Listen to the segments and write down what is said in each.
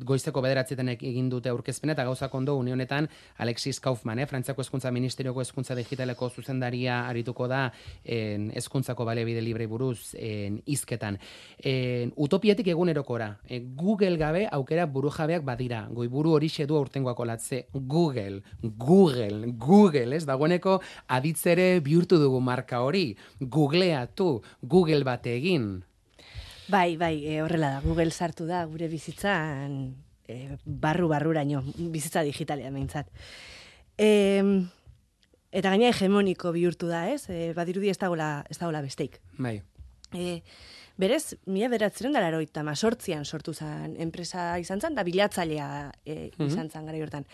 goizeko 9 egin dute aurkezpena, eta gauzak ondo une honetan Alexis Kaufman, Frantziako Hezkuntza Ministerioko Hezkuntza Digitaleko zuzendaria arituko da hezkuntzako baliabide libre buruz hizketan. Utopiatik egunerokora. Google gabe aukera burujabeak badira. Goiburu horixe du aurtengoako latze. Google, ez? Dagoeneko aditzere bihurtu dugu marka hori. Googleatu, Google bate egin. Bai, horrela da. Google sartu da gure bizitzan barruraino, bizitza digitalean behintzat. Eta gaina hegemoniko bihurtu da, ez? Badirudi ez dagoela besteik. Bai. Berez, 1988an sortu zen enpresa izan zen, da bilatzailea izan zen gara hortan.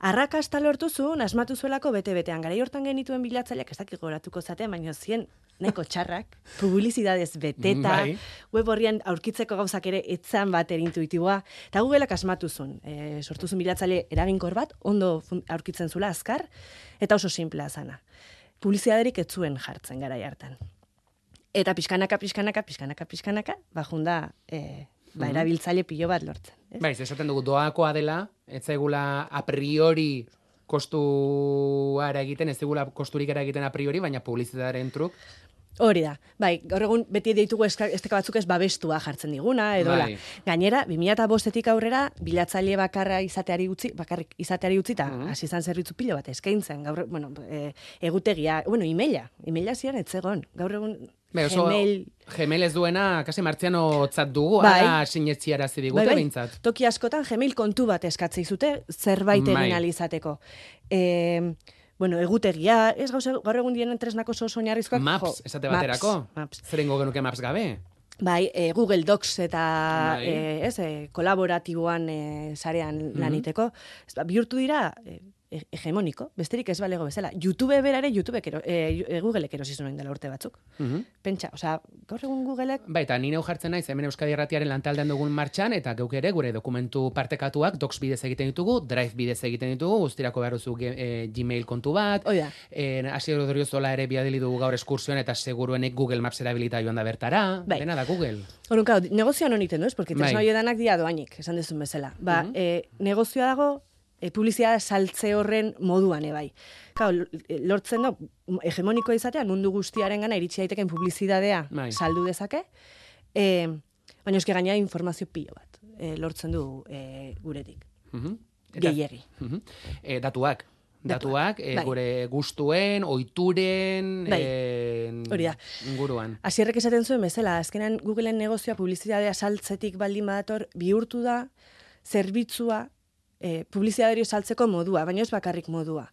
Arrakasta lortu zuen, asmatu zuelako bete-betean. Gara hortan genituen bilatzaileak, ez dakik goratuko zaten, baina zien nahiko txarrak, publizidadez beteta, web horrian aurkitzeko gauzak ere etzan bat intuitiboa, eta Googleak asmatu zuen. Sortu zuen bilatzaile eraginkor bat, ondo aurkitzen zula azkar, eta oso simplea zana. Publizidaderik ez zuen jartzen gara hartan. Eta pixkanaka, bajunda erabiltzaile pilo bat lortzen. Baiz, esaten dugu, doakoa dela, ez zaigula a priori kostuara egiten, ez zaigula kosturik egiten a priori, baina publizitatearen truk. Hori da, bai, gaur egun beti ditugu esteka batzuk ez babestua jartzen diguna, edola. Gainera, 2005-etik aurrera, bilatzaile bakarrik izateari utzi, eta hasi izan zerbitzu pilo bat eskaintzen, gaur, egutegia, emaila zian etzegon, gaur egun Gmail ez duena, kasi martziano tzat dugu, ara sinetziara zidigute behintzat. Toki askotan Gmail kontu bat eskatzei zute, zerbait egin alizateko. Egutegia, ez gaur egun dienen tresnako oinarrizkoak. Maps, esate baterako. Zerengo genuke Maps gabe? Bai, Google Docs eta kolaboratiboan sarean laniteko. Bihurtu dira hegemoniko, besterik ez balego bezala. YouTube berare, Googleek erosi zuen dela urte batzuk. Pentsa, gaur egun Googleek... Bai, eta nire jartzen naiz, hemen Euskadi Irratiaren lantaldean dugun martxan, eta geuk ere gure dokumentu partekatuak Docs bidez egiten ditugu, Drive bidez egiten ditugu, guztirako beharruzu Gmail kontu bat, Asier Odriozola ere biadili dugu gaur eskursioan, eta seguruenek Google Maps erabilita joan da bertara, dena da Google. Horunka, negozioan honiten duz, porque tresna hoiedanak dia doainik, esan dezun bezala. Negozioa dago, publizidad saltze horren moduan bai. Lortzen da, hegemonikoa izatean, mundu guztiaren gana iritsi daiteken publizidadea saldu dezake, baina eske gaina informazio pilo bat lortzen du guretik. Gehiegi. Datuak, gure gustuen, ohituren, inguruan. Asierrek esaten zuen bezala, azkenan Googleen negozioa publizidadea saltzetik baldin badator bihurtu da zerbitzua publizitateari saltzeko modua, baina ez bakarrik modua.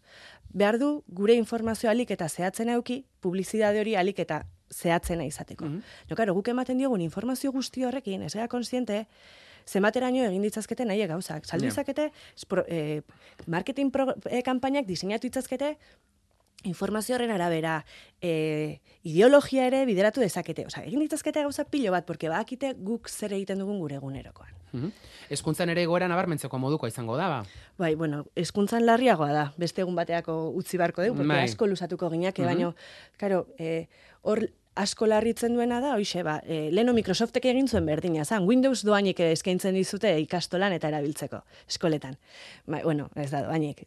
Behar du gure informazioa alik eta zehatzena eduki, publizitate hori alik eta zehatzena izateko. Guk ematen diogun informazio guzti horrekin, ez gara konsiente, zenbateraino egin ditzazkete nahi gauzak. Saldu izakete, marketing kanpainak diseinatu ditzazkete, informazio horren arabera, ideologia ere bideratu dezakete. Egin ditzazkete gauza pilo bat, porque badakite guk zer egiten dugun gure egunerokoan. Hezkuntzan ere egoera nabarmentzeko moduko izango da, ba? Bai, hezkuntzan larriagoa da. Beste egun bateako utzi barko dugu, porque asko luzatuko ginak, baina, hor asko larritzen duena da, leheno Microsoftek egin zuen berdina, Windows doainik eskaintzen dizute ikastolan eta erabiltzeko, eskoletan. Ez da doainik,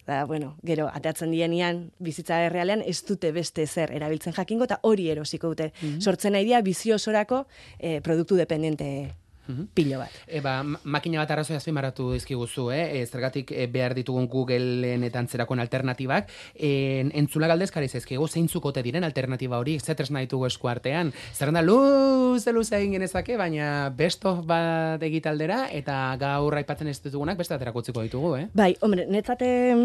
gero, ateatzen dienean, bizitza errealean, ez dute beste zer erabiltzen jakingo, eta hori erosiko dute. Sortzen nahi dia, biziosorako produktu dependente pilo bat. Makina bat arrazoia azpimarratu dizkiguzu, zergatik behar ditugun Googleen eta antzerakoen alternatibak, entzula galdezkari zaizkigu, zeintzukote diren alternatiba hori, zetresna ditugu eskuartean, zerrenda luze egin genezake, baina besto bat egitaldera, eta gaur aipatzen ez ditugunak beste aterako utziko ditugu, Bai, hombre, netzate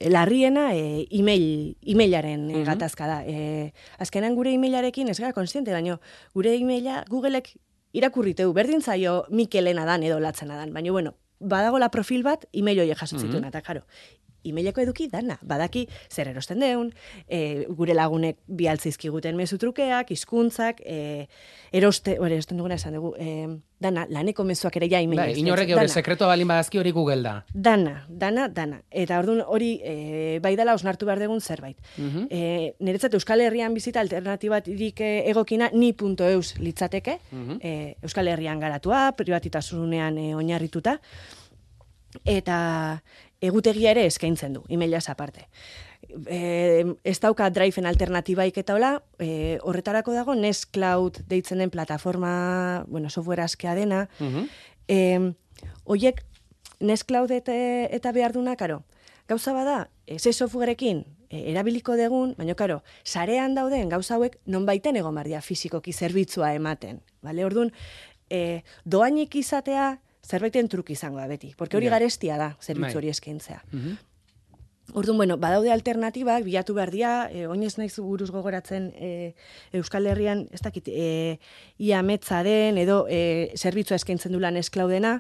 larriena emailaren gatazka da. Azkenan gure emailarekin ez gara konsiente, baina gure emaila Googleek irakurriteu, berdin zaio Mikelena dan edo latzena dan, baina, badago la profil bat, email horiek jasotzituen, eta jaro, emaileko eduki dana, badaki zer erosten deun, gure lagunek bialtzizkiguten mezu trukeak, hizkuntzak, erosten duguna esan dugu, dana, laneko mezuak ere ja email. Inorrek eure sekretua balin badazki hori Google da. Dana. Eta orduan hori bai dela osnartu behar dugun zerbait. Niretzat Euskal Herrian bizita alternatibatirik egokina ni.eus litzateke, Euskal Herrian garatua, privatitasunean oinarrituta, eta egutegia ere eskaintzen du, emailaz aparte. Ez dauka Driven alternatibaik eta hola, horretarako dago Nextcloud deitzen den plataforma, software askea dena. Oiek Nextcloud eta behar duna, karo, gauza bada, ze softwareekin erabiliko degun, baina, karo, sarean dauden gauza hauek nonbaiten egon bardia fizikoki zerbitzua ematen. Vale? Orduan, doainik izatea zerbaiten truk izango da beti, porque hori garestia da, zerbitzu hori eskaintzea. Orduan, badaude alternatibak, bilatu behar dira, oinez naiz buruz gogoratzen Euskal Herrian, ez dakit, ia metza den, edo zerbitzua eskaintzen du lan Nextcloudena.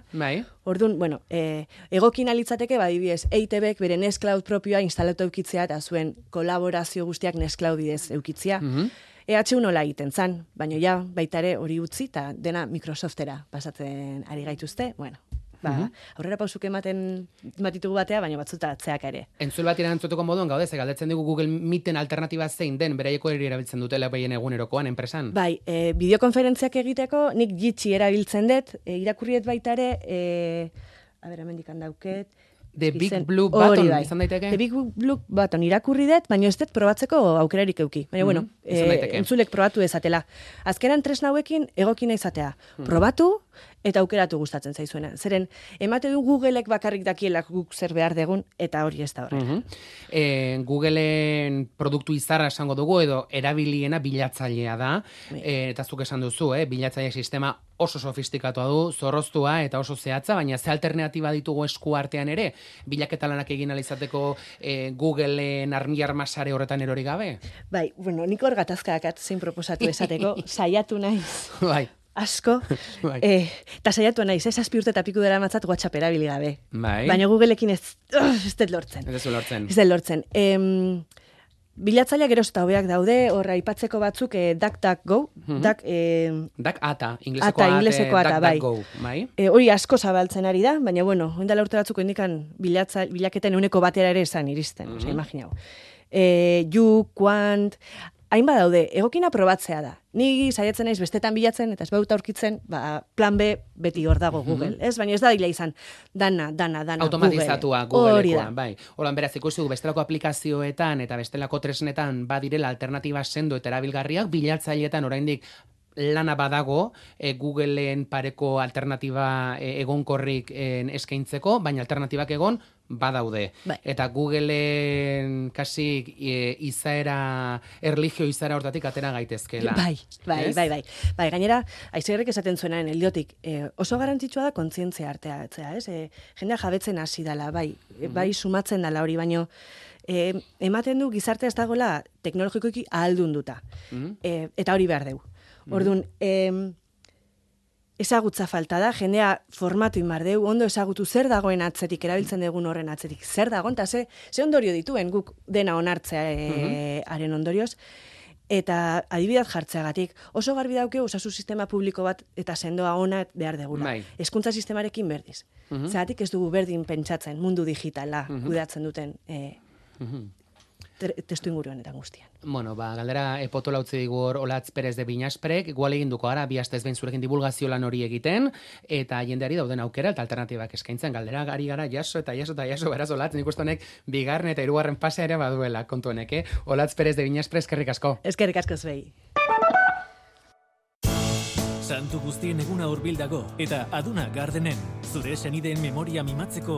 Orduan, egokin alitzateke, badibidez, EITBek bere Nextcloud propioa instalatu eukitzea, eta zuen kolaborazio guztiak Nextcloud idez eukitzea. EH nola egiten zan, baina ja, baitare hori utzi, eta dena Microsoftera pasatzen ari gaituzte, aurrera pausuk ematen ditugu batea, baina batzuta atzeak ere. Entzul bat irantzutuko moduan gaude, galdetzen dugu Google Meeten alternatiba zein den, beraieko eri erabiltzen dutela behien egunerokoan, enpresan? Bai, bideokonferentziak egiteko, nik Jitsi erabiltzen dut, irakurriet baitare, hemendik handauket, The Big Blue Button, izan daiteke? The Big Blue Button irakurri dut, baina ez dut probatzeko aukerarik euki. Baina, entzulek probatu ezatela. Azkenan tresna hauekin egokina izatea. Probatu eta aukeratu gustatzen zaizuena. Zeren, emate du Googleek bakarrik dakielak guk zer behar degun, eta hori ez da horrela. Googleen produktu izarra esango dugu, edo erabiliena bilatzailea da, eta zuk esan duzu, bilatzaile sistema oso sofistikatua du, zorroztua eta oso zehatza, baina ze alternatiba ditugu esku artean ere, bilaketa lanak egin alizateko Googleen armi-armasare horretan erori gabe? Bai, nik hor gatazkak zein proposatu esateko, saiatu naiz. Bai. Asko, eta saiatu naiz, ez 7 urte eta piku dela matzat WhatsApp erabili gabe. Bai. Baina Googleekin ez dut lortzen. Ez dut lortzen. Ez dut lortzen. Bilatzailea geroz eta hobeak daude, horra aipatzeko batzuk DuckDuckGo, DuckAta, ingleseko ata, bai. Hori asko zabaltzen ari da, baina oindala urte batzuko indikan bilaketen euneko batera ere esan iristen, imaginau. Quant, hainbat daude, egokina probatzea da. Ni saiatzen naiz bestetan bilatzen, eta ez bauta aurkitzen, plan B beti hor dago Google, ez? Baina ez da dila izan, dana automatizatua Googlekoa, bai. Horan beraz, ikusi dugu bestelako aplikazioetan eta bestelako tresnetan badirela alternatiba sendo eta erabilgarriak, bilatzaileetan oraindik lana badago Googleen pareko alternatiba egonkorrik eskaintzeko, baina alternatibak egon badaude. Bai. Eta Googleen kasi izaera, erlijio izaera hortatik atera gaitezkela. Bai. Gainera, Aizegerrek esaten zuenaren heldiotik, oso garrantzitsua da kontzientzia arteatzea, ez? Jendea jabetzen hasi dala, bai sumatzen dala hori, baino ematen du gizartea ez dagoela teknologikoki ahaldunduta. Eta hori behar dugu. Orduan, ezagutza falta da, jendea formatu inbardeu, ondo ezagutu zer dagoen atzetik, erabiltzen dugun horren atzetik, zer dagoen, eta ze ondorio dituen guk dena onartzea haren ondorioz, eta adibidez jartzeagatik, oso garbi dauke osasun sistema publiko bat eta sendoa ona behar degula. Hezkuntza sistemarekin berdiz. Zeratik ez dugu berdin pentsatzen mundu digitala kudeatzen duten testu inguru honetan guztian. Galdera potola utzi digu Olatz Perez de Binasprek, igual eginduko ara, bi astez behin zurekin divulgazio lan hori egiten, eta jendeari dauden aukera eta alternatibak eskaintzen. Galdera gari gara jaso, beraz Olatz, nik uste honek bigarren eta hirugarren pasea ere baduela kontu honek, Olatz Perez de Binasprek, eskerrik asko. Eskerrik asko zuei. Santu guztien eguna hurbil dago, eta Aduna Gardenen, zure senideen memoria mimatzeko